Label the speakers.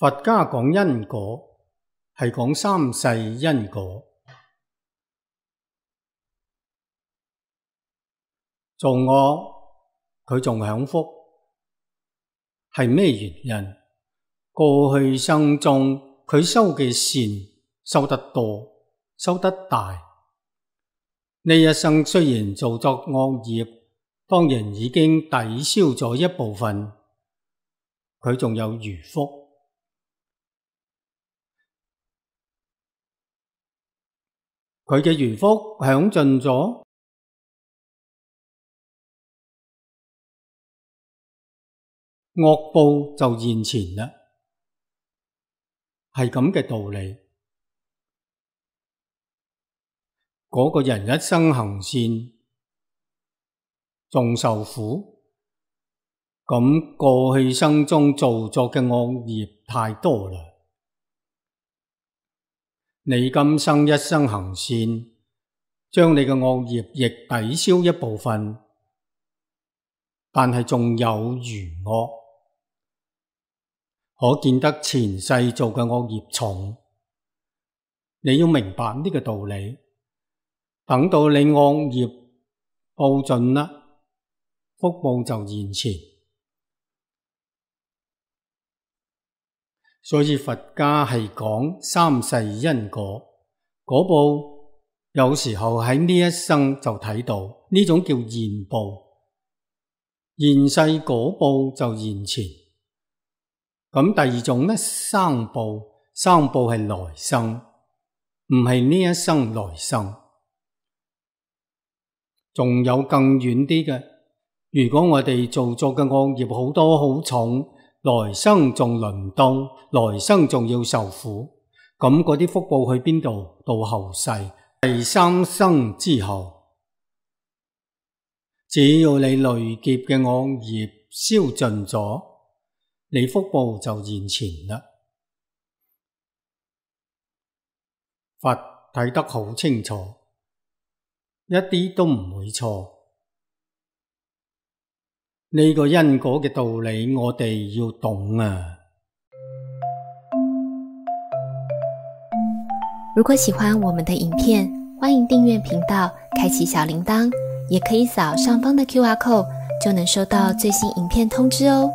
Speaker 1: 佛家講因果，係講三世因果。做惡佢仲享福，係咩原因？過去生中佢修嘅善修得多，修得大。呢一生雖然做作惡業，當然已經抵消咗一部分，佢仲有餘福。佢嘅餘福享盡咗，惡報就現前啦，係咁嘅道理。嗰個人一生行善，仲受苦，咁過去生中做作嘅惡業太多啦。你今生一生行善，將你嘅惡業亦抵消一部分，但係仲有餘惡，可見得前世做嘅惡業重。你要明白呢個道理，等到你惡業報盡啦，福報就現前。所以佛家係講三世因果，果報有時候喺呢一生就睇到，呢種叫現報，現世果報就現前。咁第二種呢，生報，生報係來生，唔係呢一生來生。仲有更遠啲嘅，如果我哋做作嘅惡業好多好重，來生仲輪到，來生仲要受苦，咁嗰啲福報去邊度？到後世，第三生之後，只要你累劫嘅惡業消盡咗，你福報就現前啦。佛睇得好清楚，一啲都唔會錯。呢個因果嘅道理，我哋要懂啊！
Speaker 2: 如果喜歡我們的影片，歡迎訂閱頻道，開啟小鈴鐺，也可以掃上方的QR code，就能收到最新影片通知哦。